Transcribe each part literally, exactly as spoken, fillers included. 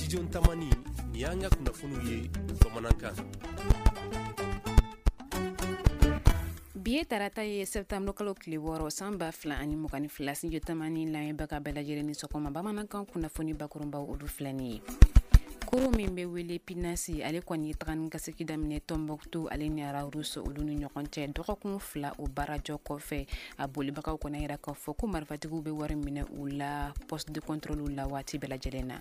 Studio Tamani, ni y'an ka kunnafoniw ye bamanankan. Bi ye tarata ye, septembre kalo tile wɔɔrɔ, san ba fila ani mugan ni fila. Studio Tamani lamɛnbaga bɛɛ lajɛlen ni sɔgɔma. Bamanankan kunnafoni bakurunbaw, olu filɛ nin ye. Koro min bɛ wele Pinasi, ale kɔni ye taga ni ka segin daminɛ Tɔnbɔkutu ale ni Rharous olu ni ɲɔgɔn cɛ, dɔgɔkun fila o baarajɔ kɔfɛ. A bolibagaw kɔni yira k'a fɔ ko marifatigiw bɛ wari minɛ u la poste de contrôle la waati bɛɛ lajɛlen na.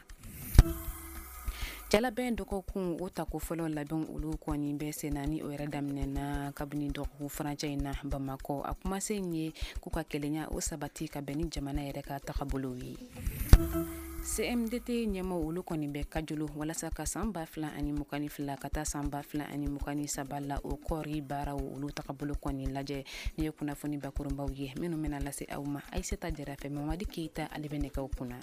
Jalabɛn dɔgɔkun o tako fɔlɔ labɛn, olu kɔni bɛ sen na, ni o yɛrɛ daminɛna kabini dɔgɔkun furancɛ in na Bamakɔ. A kumasen ye k'u ka kelenya o sabati ka bɛn ni jamana yɛrɛ ka tagabolow ye. C M D T ɲɛmaw, olu kɔni bɛ Kajolo walasa ka san ba fila ani mugan ni fila ka taa san ba fila ani mugan ni saba la, o kɔɔri baaraw olu tagabolo kɔni lajɛ. Ni ye kunnafoni bakurunbaw ye minnu bɛna lase aw ma Ayisata Jara fɛ. Mamadi Keyita, ale bɛ nɛgɛw kunna.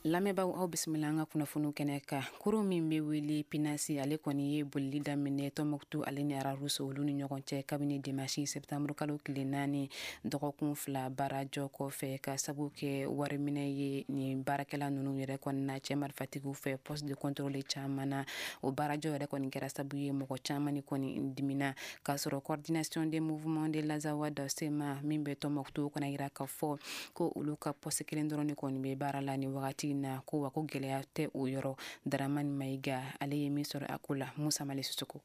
Lamɛnbaaw, aw bisimila an ka kunnafoniw kɛnɛ kan. Koro min bɛ wele Pinasi, ale kɔni ye bolili daminɛ Tɔnbɔkutu ale ni Rharous olu ni ɲɔgɔn cɛ kabini dimanche septembre kalo tile naani, dɔgɔkun fila baarajɔ kɔfɛ, ka sabu kɛ wariminɛ ye nin baarakɛla ninnu yɛrɛ kɔni na cɛ marifatigiw fɛ poste de contrôle caman na. O baarajɔ yɛrɛ kɔni kɛra sabu ye mɔgɔ caman ni kɔni dimina, k'a sɔrɔ Coordination des mouvements de l'Azawad, C M A, min bɛ Tɔnbɔkutu kɔnɔ, yira k'a fɔ ko olu ka poste kelen dɔrɔn de kɔni bɛ baara la nin wagati na, ko wa ko gɛlɛya tɛ o yɔrɔ. Daramani Mayiga, ale ye min sɔrɔ a ko la, Musa Mali Sisoko.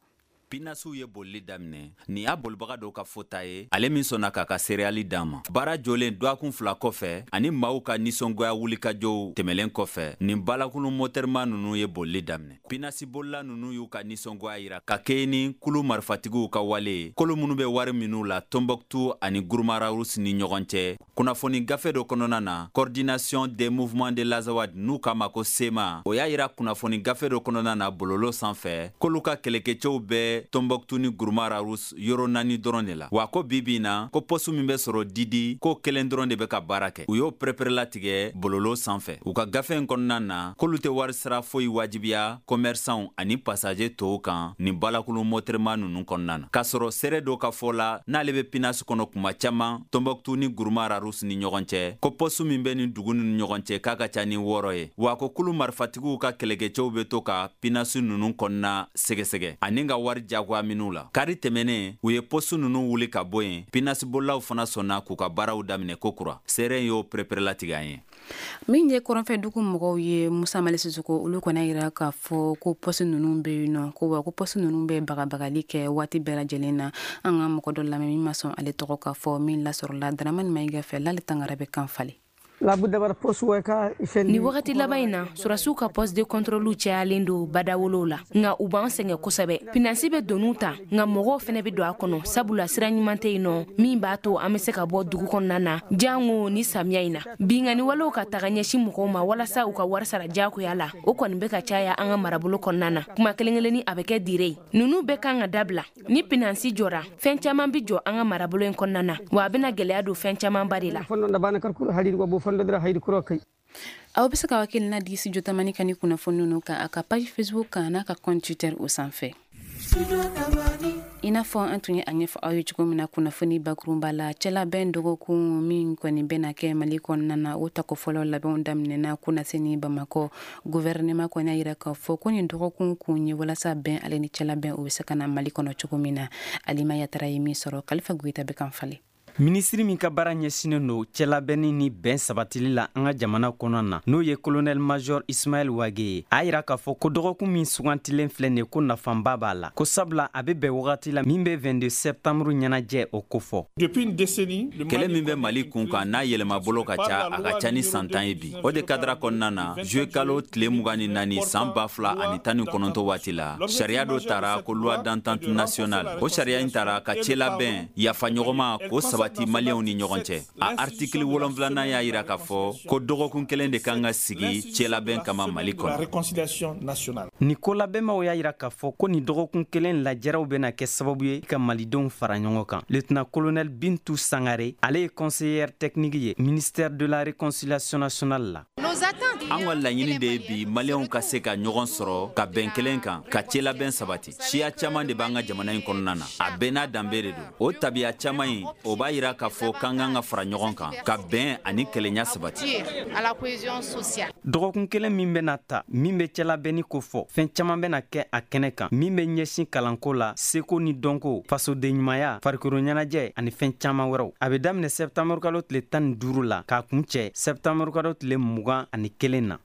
Pinasiw ye bolili daminɛ. Nin y'a bolibaga dɔw ka fɔta ye, ale min sɔnna k'a ka seereyali d'an ma. Baara jɔlen dɔgɔkun fila kɔfɛ ani maaw ka nisɔngoya wulikajɔw tɛmɛlen kɔfɛ, nin balakulu mɔtɛrima ninnu ye bolili daminɛ. Pinasi bolila ninnu y'u ka nisɔngoya yira ka kɛɲɛ ni kulu marifatigiw ka wale ye, kolo minnu bɛ wari minnu la Tɔnbɔkutu ani Gourma Rharous ni ɲɔgɔn cɛ. Kunnafoni gafe dɔ kɔnɔna na, Coordination des mouvements de l'Azawad, n'u k'a ma ko C M A, o y'a yira kunnafoni gafe dɔ kɔnɔna na bololo sanfɛ, k'olu ka kɛlɛkɛcɛw bɛ Tɔnbɔkutu ni Gourma Rharous yɔrɔ naani dɔrɔn de la, wa ko bi bi na, ko poste min bɛ sɔrɔ Didi, ko kelen dɔrɔn de bɛ ka baara kɛ. U y'o pɛrɛpɛrɛlatigɛ bololo sanfɛ u ka gafe in kɔnɔna na, k'olu tɛ wari sara foyi wajibiya commerçants ani passager tɔw kan nin balakulu mɔtɛrima ninnu kɔnɔna na. K'a sɔrɔ seere dɔ ka fɔ la, n'ale bɛ Pinasi kɔnɔ kuma caman Tɔnbɔkutu ni Gourma Rharous ni ɲɔgɔn cɛ, ko poste min bɛ nin dugu ninnu ɲɔgɔn cɛ, k'a ka ca ni wɔɔrɔ ye, wa ko kulu marifatigiw ka kɛlɛkɛcɛw bɛ to ka Pinasi ninnu kɔnɔna sɛgɛsɛgɛ ani ka wari jagoya minnu la. Kari tɛmɛnen, u ye poste ninnu wuli ka bɔ yen. Pinasi bolilaw fana sɔnna k'u ka baaraw daminɛ kokura. Seere y'o pɛrɛpɛrɛlatigɛ an ye. Min ye kɔrɔnfɛ dugu mɔgɔw ye, Musa Mali Sisoko, olu kɔni yira k'a fɔ ko poste ninnu bɛ yen nɔ, ko wa ko poste ninnu bɛ bagabagali kɛ waati bɛɛ lajɛlen na. An ka mɔgɔ dɔ lamɛn min ma sɔn ale tɔgɔ k'a fɔ, min lasɔrɔla Daramani Mayiga fɛ, l'ale tangara bɛ kan falen. Ni wagati laban in na, sɔrɔdasiw ka poste de contrôle cayalen don badawolow la, nka u b'an sɛgɛn kosɛbɛ. Pinasi bɛ doniw ta, nka mɔgɔw fɛnɛ bɛ don a kɔnɔ, sabula sira ɲuman tɛ yen nɔ min b'a to an bɛ se ka bɔ dugu kɔnɔna na, jango ni samiya in na. Binkanni walew ka taga ɲɛsin mɔgɔw ma walasa u ka wari sara diyagoya la, o kɔni bɛ ka caya an ka marabolo kɔnɔna na. Kuma kelen kelenni, a bɛ kɛ dire ye. Ninnu bɛɛ kan ka dabila. Ni pinasi jɔra, fɛn caman bɛ jɔ an ka marabolo in kɔnɔna na, wa a bɛna gɛlɛya don fɛn camanba de la. Aw bɛ se ka hakilina di Studio Tamani ka ni kunnafoni ninnu kan a ka page Facebook kan n'a ka compte Twitter o sanfɛ. I n'a fɔ an tun ye a ɲɛfɔ aw ye cogo min na kunnafoni bakurunba la, cɛlabɛn dɔgɔkun min kɔni bɛna kɛ Mali kɔnɔna na, o tako fɔlɔ labɛnw daminɛna kunaseni Bamakɔ. Gouvernement kɔni y'a yira k'a fɔ ko nin dɔgɔkun kun ye walasa bɛn ale ni cɛlabɛn o bɛ se ka na Mali kɔnɔ cogo min na. Alima Yatara ye min sɔrɔ, Kalifa Goyita bɛ kan falen. Minisiri min ka baara ɲɛsinnen don cɛlabɛnni ni bɛn sabatili la an ka jamana kɔnɔ na, n'o ye colonel major Ismaël Wagué ye, a yira k'a fɔ ko dɔgɔkun min sugantilen filɛ nin, ko nafanba b'a la, ko sabula a bɛ bɛn wagati la min bɛ vingt-deux septembre ɲɛnajɛ o kofɔ. Kɛlɛ min bɛ Mali kun kan, n'a yɛlɛmabolo ka ca, a ka ca ni san tan ye bi. O de cadre kɔnɔna na, juillet kalo tile mugan ni naani san ba fila ani tan ni kɔnɔntɔ waati la, sariya dɔ tara ko loi d'entente nationale. O sariya in tara ka cɛlabɛn, yafaɲɔgɔnma, k'o sabati Maliyɛnw ni ɲɔgɔn cɛ. A article wolonfilanan y'a yira k'a fɔ ko dɔgɔkun kelen de kan ka sigi cɛlabɛn kama Mali kɔnɔ. Ni kolabɛnmaw y'a yira k'a fɔ ko nin dɔgɔkun kelen lajɛrɛw bɛna kɛ sababu ye ka malidenw fara ɲɔgɔn kan. Lieutenant colonel Bintu Sangare, ale ye conseillère technique ye ministère de la Réconciliation nationale la. An ka laɲini de ye bi Maliyɛnw ka se ka ɲɔgɔn sɔrɔ ka bɛn kelen kan, ka cɛlabɛn sabati. Siya caman de b'an ka jamana in kɔnɔna na, a bɛɛ n'a danbe de don. O tabiya caman in, o b'a yira k'a fɔ k'an kan ka fara ɲɔgɔn kan ka bɛn ani kelenya sabati. Dɔgɔkun kelen min bɛna ta, min bɛ cɛlabɛnni ko fɔ, fɛn caman bɛna kɛ a kɛnɛ kan min bɛ ɲɛsin kalanko la, seko ni dɔnko, fasodenɲumanya, farikolo ɲɛnajɛ ani fɛn caman wɛrɛw. A bɛ daminɛ sɛptanburu kalo tile tan ni duuru la k'a kuncɛ sɛptanburu kalo tile mugan ani kelen na.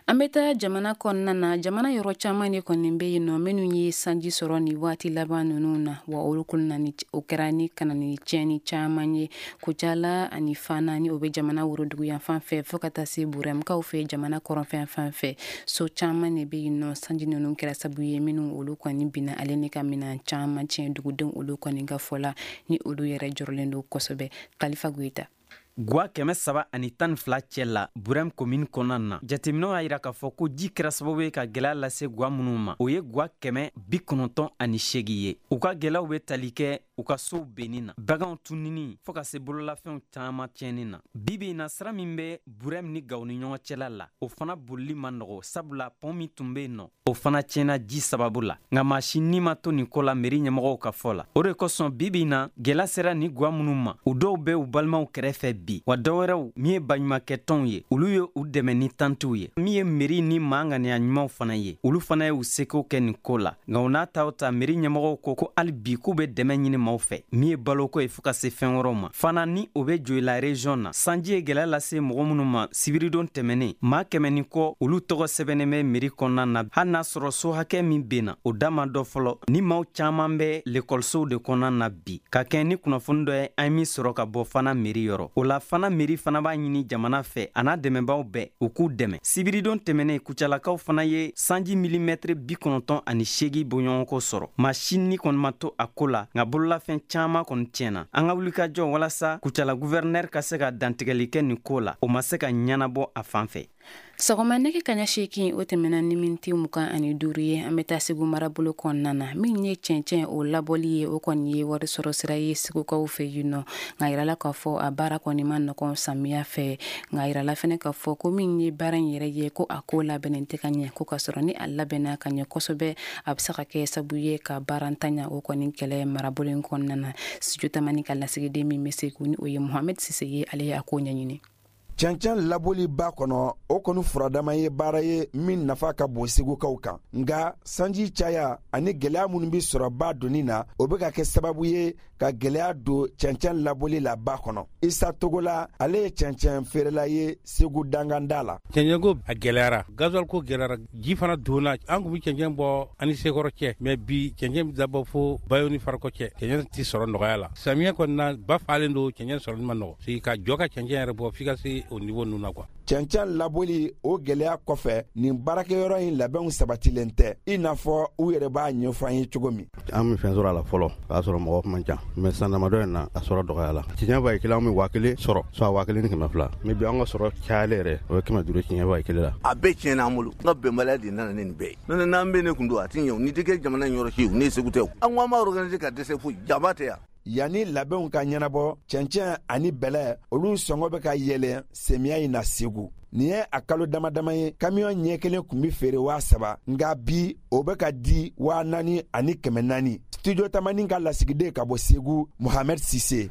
An bɛ taa jamana kɔnɔna na. Jamana yɔrɔ caman de kɔni bɛ yen nɔ minnu ye sanji sɔrɔ nin waati laban ninnu na, wa olu kɔni o kɛra ni ka na ni tiɲɛni caman ye Kucala ani Fana ni o bɛ jamana woroduguyanfan fɛ, fo ka taa se Burɛmukaw fɛ jamana kɔrɔnfɛn fan fɛ. So caman de bɛ yen nɔ sanji ninnu kɛra sababu ye minnu olu kɔni binna ale ni ka minɛn caman tiɲɛ dugudenw olu kɔni ka fɔ la, ni olu yɛrɛ jɔrɔlen don kosɛbɛ. Kalifa Goyita. Gwa kɛmɛ saba ani tan ni fila cɛ la Burɛm komini kɔnɔna na, jateminɛw y'a yira k'a fɔ ko ji kɛra sababu ye ka gwɛlɛya lase gwa minnu ma, o ye gwa kɛmɛ bi kɔnɔntɔn ani seegin ye. U ka gwɛlɛyaw bɛ tali kɛ u ka sow benni na, baganw tununi, fɔɔ ka se bololafɛnw caman tiɲɛni na. Bibi in na, sira min bɛ Burɛm ni Gawo ni ɲɔgɔn cɛla la, o fana bolili ma nɔgɔ, sabula pɔn min tun bɛ yen nɔ, o fana tiɲɛna ji sababu la. Nka maa si ni ma to nin ko la meri ɲɛmɔgɔw ka fɔ la. O de kosɔn bibi in na, gwɛlɛya sera ni gwa minnu ma, u dɔw bɛ u balimaw kɛrɛfɛ bi, wa dɔwɛrɛw min ye baɲumankɛtɔnw ye, olu ye u dɛmɛ ni tantiw ye. Min ye meri ni maa ŋaniya ɲumanw fana ye, olu fana ye u seko kɛ nin ko la. Nka u n'a ta o ta, meri ɲɛmɔgɔw ko ko hali bi k'u bɛ dɛmɛ ɲini maaw fɛ, min ye baloko ye fo ka se fɛn wɛrɛw ma. Fana ni o bɛ Joyila region na, sanji ye gwɛlɛya lase mɔgɔ minnu ma sibiridon tɛmɛnen, maa kɛmɛ ni kɔ olu tɔgɔ sɛbɛnnen bɛ meri kɔnɔna na. Hali n'a sɔrɔ so hakɛ min benna, o da ma dɔ fɔlɔ. Ni maaw caman bɛ lekɔlisow de kɔnɔna na bi, ka kɛ ni kunnafoni dɔ ye an ye min sɔrɔ ka bɔ Fana meri yɔrɔ. O la Fana meri fana b'a ɲini jamana fɛ a n'a dɛmɛbaaw bɛɛ u k'u dɛmɛ. Sibiridon tɛmɛnen, Kucalakaw fana ye sanji milimɛtiri bi kɔnɔntɔn ani seegin bɔɲɔgɔnko sɔrɔ. Maa si ni kɔni ma to a ko la, nka bololafɛn caman kɔni tiɲɛna. An ka wulikajɔ walasa Kucala guvɛrinɛri ka se ka dantigɛli kɛ nin ko la, o ma se ka ɲɛnabɔ a fan fɛ. Sɔgɔma nɛgɛ kaɲa seegin o tɛmɛna ni miniti mugan ani duuru ye, an bɛ taa Segu marabolo kɔnɔna na. Min ye cɛncɛn o labɔli ye, o kɔni ye wari sɔrɔ sira ye Segukaw fɛ yen nɔ. Nka yirala k'a fɔ a baara kɔni ma nɔgɔn samiya fɛ. Nka yirala fɛnɛ k'a fɔ ko min ye baara in yɛrɛ ye, ko a ko labɛnnen tɛ ka ɲɛ, ko ka sɔrɔ ni a labɛnna ka ɲɛ kosɛbɛ, a bɛ se ka kɛ sababu ye ka baarantanya o kɔni kɛlɛ marabolo in kɔnɔna na. Studio Tamani ka lasigiden min bɛ Segu ni o ye Mohamed Sise ye, ale ye a ko ɲɛɲini. Cɛncɛn labɔli ba kɔnɔ, o kɔni furadama ye baara ye min nafa ka bon Segukaw kan. Nka sanji caya ani gwɛlɛya minnu bɛ sɔrɔ ba donni na, o bɛ ka kɛ sababu ye ka gwɛlɛya don cɛncɛn labɔli la ba kɔnɔ. Isa Togola, ale ye cɛncɛn feerela ye Segu danganda la. Cɛncɛnko a gwɛlɛyara, gasoil ko gwɛlɛyara, ji fana donna. An kun bɛ cɛncɛn bɔ ani Sekɔrɔ cɛ, mɛ bi cɛncɛn bɛ dabɔ fo Bayo ni Farakɔ cɛ. Cɛncɛn tɛ sɔrɔ nɔgɔya la. Samiyɛ kɔni na, ba falen don, cɛncɛn sɔrɔli ma nɔgɔ. C'est ka jɔ ka cɛncɛn yɛrɛ bɔ f'i ka se o niveau ninnu na quoi. Cɛncɛn labɔli o gwɛlɛya kɔfɛ, nin baarakɛyɔrɔ in labɛnw sabatilen tɛ, i n'a fɔ u yɛrɛ b'a ɲɛfɔ an ye cogo min. An bɛ fɛn sɔrɔ a la fɔlɔ, k'a sɔrɔ mɔgɔ man ca, mɛ san damadɔ in na a sɔrɔ dɔgɔya la. Tiɲɛ ba ye kelen, an bɛ waa kelen sɔrɔ, soit waa kelen ni kɛmɛ fila, mɛ bi an ka sɔrɔ cayalen yɛrɛ o ye kɛmɛ duuru tiɲɛ ba ye kelen la. A bɛɛ tiɲɛna an bolo, n ka bɛnbaliya de nana ni nin bɛɛ ye. N'o tɛ n'an bɛ ne kun don a ti ɲɛ o, n'i tɛ kɛ jamana in yɔrɔ si o, ne ye Segu tɛ o. An ko an b'a organiser ka dɛsɛ foyi, jaba tɛ yan. Yanni labɛnw ka ɲɛnabɔ, cɛncɛn ani bɛlɛ olu sɔngɔ bɛ ka yɛlɛn samiya in na Segu. Nin ye a kalo dama dama ye, kamiyɔn ɲɛ kelen tun bɛ feere waa saba, nka bi o bɛ ka di waa naani ani kɛmɛ naani. Studio Tamani ka lasigiden ka bɔ Segu, Mohamed Sise.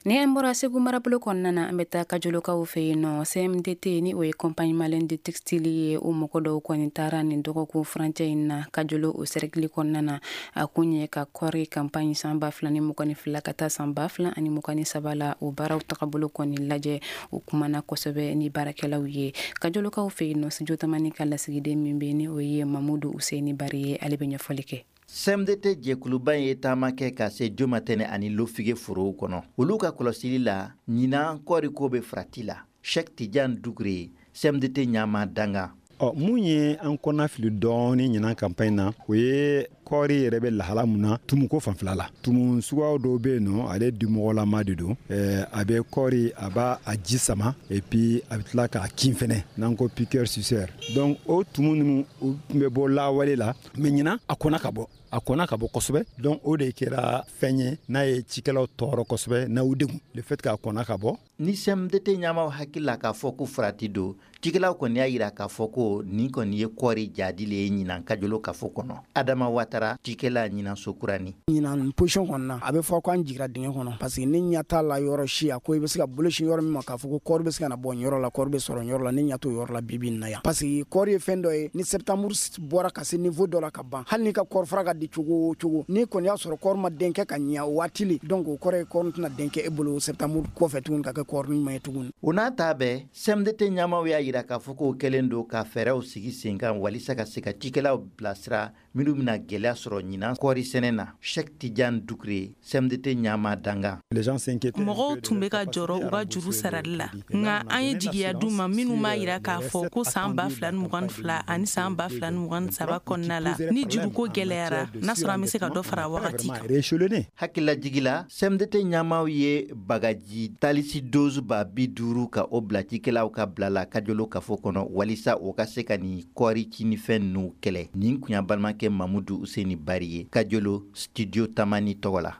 Ni an bɔra Segu marabolo kɔnɔna na, an bɛ taa Kajolokaw fɛ yen nɔ. C M D T ni o ye Compagnie Malienne de Textile ye, o mɔgɔ dɔw kɔni taara nin dɔgɔkun furancɛ in na Kajolo o cercle kɔnɔna na. A kun ye ka kɔɔri campagne san ba fila ni mugan ni fila ka taa san ba fila ani mugan ni saba la, o baaraw tagabolo kɔni lajɛ. O kumana kosɛbɛ ni baarakɛlaw ye Kajolokaw fɛ yen nɔ. Studio Tamani ka lasigiden min bɛ ni o ye Mamudu Useni Bari ye, ale bɛ ɲɛfɔli kɛ. C M D T jɛkuluba in ye taama kɛ ka se Jomatɛnɛ ani Lofige forow kɔnɔ. Olu ka kɔlɔsili la, ɲinan kɔɔriko bɛ farati la. Cheikh Tidiane Dugure, C M D T ɲama danga. Ɔ, mun ye an kɔnna fili dɔɔni ɲinan campagne na, o ye kɔɔri yɛrɛ bɛ lahala mun na tumuko fanfɛla la. Tumu suguyaw dɔw bɛ yen nɔ, ale dimɔgɔlama de don. Ɛɛ, a bɛ kɔɔri, a b'a a ji sama, et puis a bɛ tila k'a kin fɛnɛ, n'an ko piqueur suceur. Donc o tumu ninnu, u tun bɛ bɔ lawale la, mais ɲinan a kɔnna ka bɔ. A kɔnna ka bɔ kosɛbɛ, donc o de kɛra fɛn ye n'a ye cikɛlaw tɔɔrɔ kosɛbɛ, n'a y'u degun le fait k'a kɔnna ka bɔ. Ni C M D T ɲɛmaw hakili la k'a fɔ ko farati don, cikɛlaw kɔni y'a yira k'a fɔ ko nin kɔni ye kɔɔri jadi le ye ɲinan Kajolo kafo kɔnɔ. Adama Watara, cikɛla ɲinan Sokurani. Ɲinan position kɔni na, a bɛ fɔ ko an jigira dingɛ kɔnɔ, parce que ni ɲɛ t'a la yɔrɔ si a ko i bɛ se ka bolo sin yɔrɔ min ma k'a fɔ ko kɔɔri bɛ se ka na bɔ nin yɔrɔ la, kɔɔri bɛ sɔrɔ nin yɔrɔ la, ni ɲɛ t'o yɔrɔ la bi bi in na yan, parce que kɔɔri ye fɛn dɔ ye, ni septembre bɔra ka se niveau dɔ la ka ban, hali n'i ka kɔɔri fara ka di cogo o cogo, n'i kɔni y'a sɔrɔ kɔɔri ma den kɛ ka ɲɛ o waati le, donc o kɔrɔ ye kɔɔri tɛna den kɛ e bolo septembre kɔfɛ tuguni ka kɛ kɔɔri ɲuman ye tuguni. O n'a ta bɛɛ, C M D T ɲɛmaw y'a yira k'a fɔ k'o kɛlen don ka fɛɛrɛw sigi sen kan walisa ka se ka cikɛlaw bilasira minnu bɛna gɛlɛya sɔrɔ ɲinan kɔɔri sɛnɛ na. Cheick Tidiane Doucouré, C M D T ɲama dangan. Mɔgɔw tun bɛ ka jɔrɔ u ka juru sarali la, nka an ye jigiya d'u ma minnu b'a yira k'a fɔ ko san ba fila ni mugan ni fila ani san ba fila ni mugan ni saba kɔnɔna la, ni juruko gɛlɛyara, n'a sɔrɔ an bɛ se ka dɔ fara wagati kan. Hakililajigi la, C M D T ɲɛmaw ye bagaji talisi dose ba bi duuru ka o bila cikɛlaw ka bila la Kajolo kafo kɔnɔ walisa o ka se ka nin kɔɔri cinifɛn ninnu kɛlɛ. Nin kun y'a balimakɛ Mamudu Useni Bari ye Kajolo, Studio Tamani tɔgɔ la.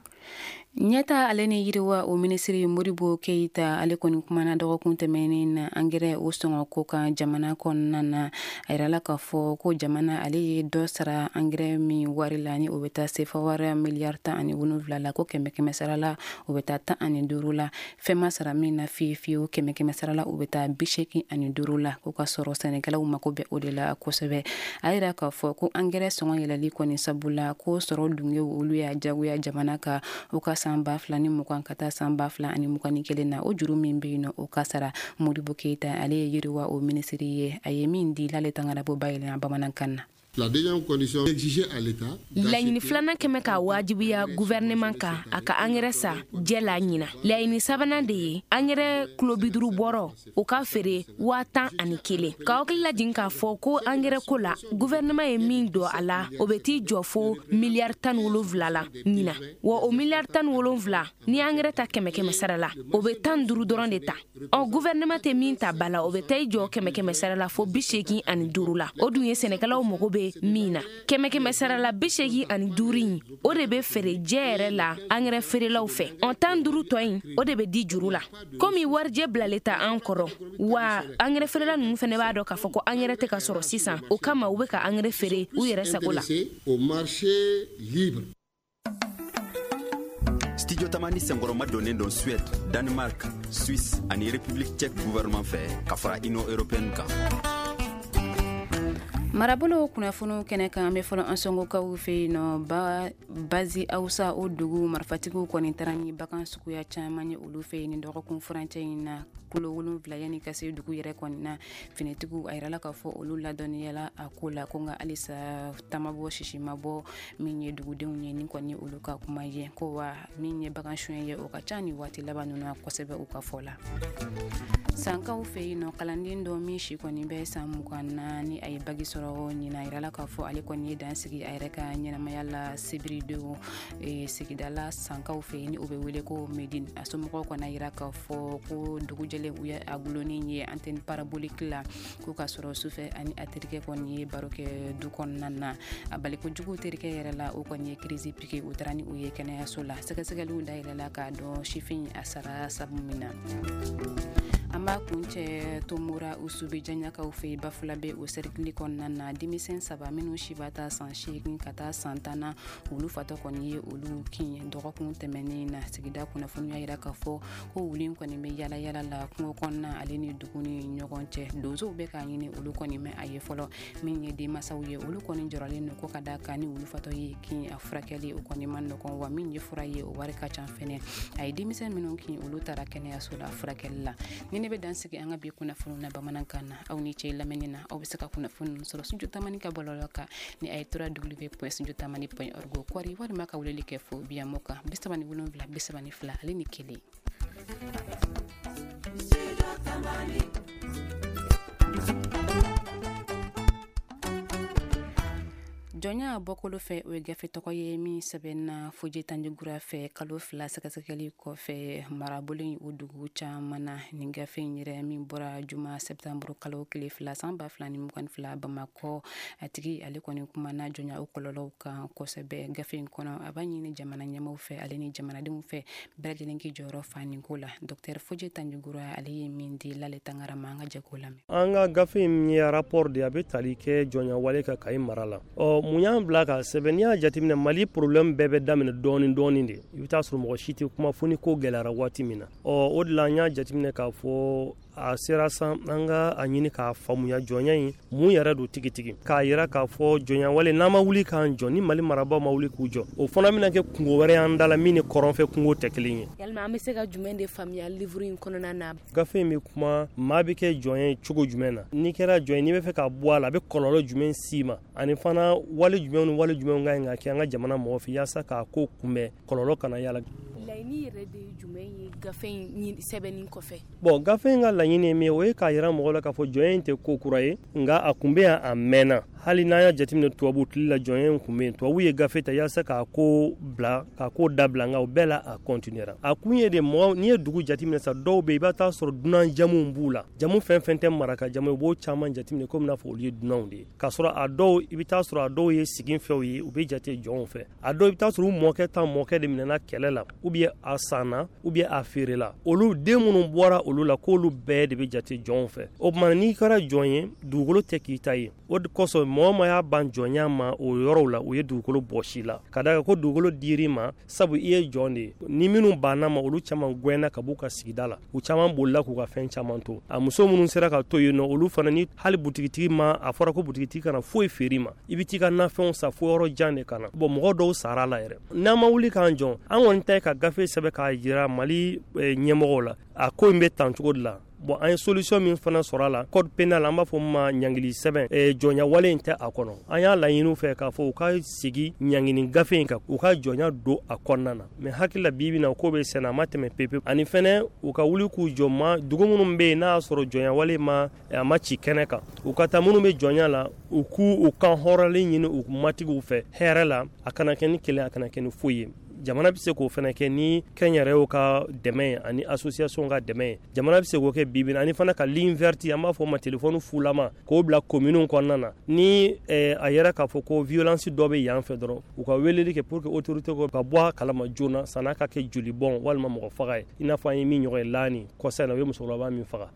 Ɲɛta ale ni yiriwa o minisiri Modibo Keyita, ale kɔni kumana dɔgɔkun tɛmɛnen na angɛrɛ o sɔngɔ ko kan jamana kɔnɔna na. A yirala k'a fɔ ko jamana ale ye dɔ sara angɛrɛ min wari la, ni o bɛ taa sefa wari miliyari tan ani wolonwula la, ko kɛmɛ kɛmɛ sara la o bɛ taa tan ani duuru la. Fɛn ma sara min na fiye fiyewu, kɛmɛ kɛmɛ sara la o bɛ taa bi seegin ani duuru la, ko ka sɔrɔ sɛnɛkɛlaw mako bɛ o de la kosɛbɛ. A yira k'a fɔ ko angɛrɛ sɔngɔ yɛlɛli kɔni sabula ko sɔrɔ dungew olu y'a jagoya jamana ka o ka san ba fila ni mugan ka taa san ba fila ani mugan ni kelen na, o juru min bɛ yen nɔ, o ka sara. Modibo Keyita, ale ye yiriwa o minisiri ye, a ye min di l'ale tangarabo bayɛlɛma bamanankan na. La deuxième condition exigée à l'État. Laɲini filanan kɛmɛ k'a wajibiya gouvernement kan a ka angɛrɛ sa jɛ la ɲina. Laɲini sabanan de ye angɛrɛ kulo bi duuru bɔrɔ o ka feere waa tan ani kelen. K'aw hakili lajigin k'a fɔ ko angɛrɛ ko la, gouvernement ye min don a la, o bɛ t'i jɔ fo miliyari tan ni wolonwula la ɲina. Wa o miliyari tan ni wolonwula, ni angɛrɛ ta kɛmɛ kɛmɛ sara la, o bɛ tan duuru dɔrɔn de ta. Ɔ, gouvernement tɛ min ta ba la, o bɛ taa i jɔ kɛmɛ kɛmɛ sara la fo bi seegin ani duuru la. O dun ye sɛnɛkɛlaw mago bɛ min na. Kɛmɛ kɛmɛ sara la bi seegin ani duuru in, o de bɛ feere jɛ yɛrɛ la angɛrɛ feerelaw fɛ. Ɔ, tan duuru tɔ in, o de bɛ di juru la. Komi warijɛ bilalen ta an kɔrɔ, wa angɛrɛ feerela ninnu fana b'a dɔn k'a fɔ ko angɛrɛ tɛ ka sɔrɔ sisan, o kama u bɛ ka angɛrɛ feere u yɛrɛ sago la. Au marché libre. Studio Tamani senkɔrɔma donnen don Suède, Danemark, Suisse ani République tchèque gouvernement fɛ ka fara Union européenne kan. Marabolo kunnafoniw kɛnɛ kan, an bɛ fɔlɔ an sɔngokaw fɛ yen nɔ, ba bazi Awusa o dugu marifatigiw kɔni taara ni bagan suguya caman ye olu fɛ yen ni dɔgɔkun furancɛ in na, kulo wolonwula. Yanni ka se dugu yɛrɛ kɔni na, finitigiw a yirala k'a fɔ olu ladɔnniyala a ko la, ko nka halisa tamabɔ sisi ma bɔ min ye dugudenw ye. Nin kɔni olu ka kuma ye ko wa min ye bagan suɲɛ ye, o ka ca ni waati laban ninnu na kosɛbɛ, u ka fɔ la. Sankaw fɛ yen nɔ, kalanden dɔ min si kɔni bɛ san mugan na, ni a ye bac sɔrɔ ɲina, a yirala k'a fɔ ale kɔni ye dan sigi a yɛrɛ ka ɲɛnamaya la sibiridon sigida la Sankaw fɛ yen, ni o bɛ wele ko Medine. A somɔgɔw kɔni a yira k'a fɔ ko dugu jɛlen, u ye a gulonnen ye antenne parabolique la, ko k'a sɔrɔ sufɛ ani a terikɛ kɔni ye baro kɛ du kɔnɔna na. A baliko jugu terikɛ yɛrɛ la, o kɔni ye crise piqué, u taara ni u ye kɛnɛyaso la. Sɛgɛsɛgɛliw dayɛlɛla k'a dɔn sifin a sara sabu min na. An b'a kuncɛ Tomora Usubi Jaɲakaw fɛ yen, Bafulabe o cercle kɔnɔna na, denmisɛn saba minnu si b'a ta san seegin ka taa san tan na, olu fatɔ kɔni ye olu kin dɔgɔkun tɛmɛnen na. Sigida kunnafoniya yira k'a fɔ ko wulu kɔni bɛ yala yala la kungo kɔnɔna ale ni dugu ni ɲɔgɔn cɛ. Donsow bɛ k'a ɲini, olu kɔni mɛ a ye fɔlɔ. Min ye denmansaw ye, olu kɔni jɔrɔlen don ko ka da kan ni wulu fatɔ ye kin, a furakɛli o kɔni ma nɔgɔn, wa min ye fura ye, o wari ka ca fɛnɛ. A ye denmisɛn minnu kin, olu taara kɛnɛyaso la furakɛli la. Ni ne bɛ dan sigi an ka bi kunnafoniw na bamanankan na. Aw ni ce lamɛnni na. Aw bɛ se ka kunnafoni ninnu sɔrɔ Studio Tamani ka bɔlɔlɔ kan ni a ye w w w point studiotamani point org kɔri, walima ka weleli kɛ fo biyamo kan bi saba ni wolonwula bi saba ni fila ale ni kelen. Jɔnya bɔkolo fɛ, o ye gafe tɔgɔ ye min sɛbɛnna Fodje Tandjigora fɛ kalo fila sɛgɛsɛgɛli kɔfɛ marabolo in o dugu caman na. Nin gafe in yɛrɛ min bɔra juma sɛptanburu kalo tile fila san ba fila ni mugan fila Bamakɔ, a tigi ale kɔni kumana jɔnya o kɔlɔlɔw kan kosɛbɛ. Gafe in kɔnɔ, a b'a ɲini jamana ɲɛmaw fɛ ale ni jamanadenw fɛ, bɛɛ lajɛlen k'i jɔyɔrɔ fa nin ko la. Dɔktɛr Fodje Tandjigora, ale ye min di Lale Tangara ma, an ka jɛ k'o lamɛn. An ka gafe in ye rapport de, a bɛ tali kɛ jɔnya wale kan Kayi mara la. Ɔ, mun y'an bila ka sɛbɛn? N'i y'a jateminɛ, Mali problème bɛɛ bɛ daminɛ dɔɔni dɔɔni de. I bɛ taa sɔrɔ mɔgɔ si tɛ kuma fo ni ko gɛlɛyara waati min na. Ɔ, o de la an y'a jateminɛ k'a fɔ a sera san an ka a ɲini k'a faamuya jɔnya in mun yɛrɛ don tigitigi, k'a yira k'a fɔ jɔnya wale, n'an ma wuli k'an jɔ, ni Mali marabaaw ma wuli k'u jɔ, o fana bɛna kɛ kungo wɛrɛ y'an da la min ni kɔrɔnfɛ kungo tɛ kelen ye. Yalima an bɛ se ka jumɛn de faamuya livre in kɔnɔna na? Gafe in bɛ kuma maa bɛ kɛ jɔn ye cogo jumɛn na, n'i kɛra jɔn ye, n'i bɛ fɛ ka bɔ a la, a bɛ kɔlɔlɔ jumɛn s'i ma, ani fana wale jumɛn ni wale jumɛn ka ɲi ka kɛ an ka jamana mɔgɔ fɛ yaasa k'a ko kunbɛn, kɔlɔlɔ kana y'a la. Laɲini yɛrɛ de ye jumɛn ye gafe in sɛbɛnni kɔfɛ? Bon, gafe in ka laɲini ye min ye, o ye k'a yira mɔgɔ la k'a fɔ jɔnya in tɛ ko kura ye, nka a kun bɛ yan a mɛnna. Hali n'an y'a jateminɛ, tubabu tile la jɔnya in kun bɛ yen. Tubabu ye gafe ta yaasa k'a ko bila, k'a ko dabila, nka o bɛɛ la a continuera. A kun ye de, mɔgɔ n'i ye dugu jateminɛ sa, dɔw bɛ yen, i b'a taa sɔrɔ dunan jamuw b'u la, jamu fɛn fɛn tɛ maraka jamu, i b'o caman jateminɛ komi n'a fɔ olu ye dunanw de ye, k'a sɔrɔ a dɔw, i bɛ taa sɔrɔ a dɔw ye sigifɛnw ye, u bɛ jate jɔnw fɛ. A dɔw, i bɛ taa sɔrɔ u mɔkɛ ta mɔkɛ de minɛna kɛlɛ la, ou bien a sanna, ou bien a feerela. Olu den minnu bɔra olu la, k'olu bɛɛ de bɛ jate jɔnw fɛ. O tuma, n'i kɛra jɔn ye, dugukolo tɛ k'i ta ye. O de kosɔn mɔgɔ ma y'a ban jɔnya ma o yɔrɔw la, u ye dugukolo bɔsi la, ka da kan ko dugukolo dir'i ma sabu i ye jɔn de ye. Ni minnu banna ma, olu caman gɛnna ka b'u ka sigida la, u caman bolila k'u ka fɛn caman to. A muso minnu sera ka to yen nɔ, olu fana, ni hali butigitigi ma, a fɔra ko butigitigi kana foyi feere ma, i bɛ t'i ka nafɛnw san fo yɔrɔ jan de ka na. Bon, mɔgɔ dɔw sara la yɛrɛ. N'an ma wuli k'an jɔ, an kɔni ta ye ka gafe sɛbɛn k'a jira Mali ɲɛmɔgɔw la, a ko in bɛ tan cogo de la. Bon, an ye solution min fana sɔrɔ a la, code pénal, an b'a fɔ min ma ɲangili sɛbɛn, jɔnya wale in tɛ a kɔnɔ. An y'a laɲini fɛ k'a fɔ u ka sigi ɲangini gafe in kan, u ka jɔnya don a kɔnɔna na. Mais hakili la, bi bi na ko bɛ senna, a ma tɛmɛ pepe. Ani fɛnɛ u ka wuli k'u jɔ ma dugu minnu bɛ yen n'a y'a sɔrɔ jɔnya wale ma, a ma ci kɛnɛ kan, u ka taa minnu bɛ jɔnya la, u k'u u kan hɔrɔnlen ɲini u matigiw fɛ hɛrɛ la. A kana kɛ ni kɛlɛ, a kana kɛ ni foyi ye. Jamana bɛ se k'o fana kɛ ni kɛnyɛrɛyew ka dɛmɛ ye ani association ka dɛmɛ ye. Jamana bɛ se k'o kɛ bi bi ani fana ka ligne verte, an b'a fɔ o ma téléphone fulama, k'o bila communes kɔnɔna na. Ni a yɛrɛ k'a fɔ ko violence dɔ bɛ yan fɛ dɔrɔn, u ka weleli kɛ pour que autorité ka bɔ a kalama joona san'a ka kɛ jolibɔn walima mɔgɔ faga ye, i n'a fɔ an ye min ɲɔgɔn ye Lani kɔsa in na, u ye musokɔrɔba min faga.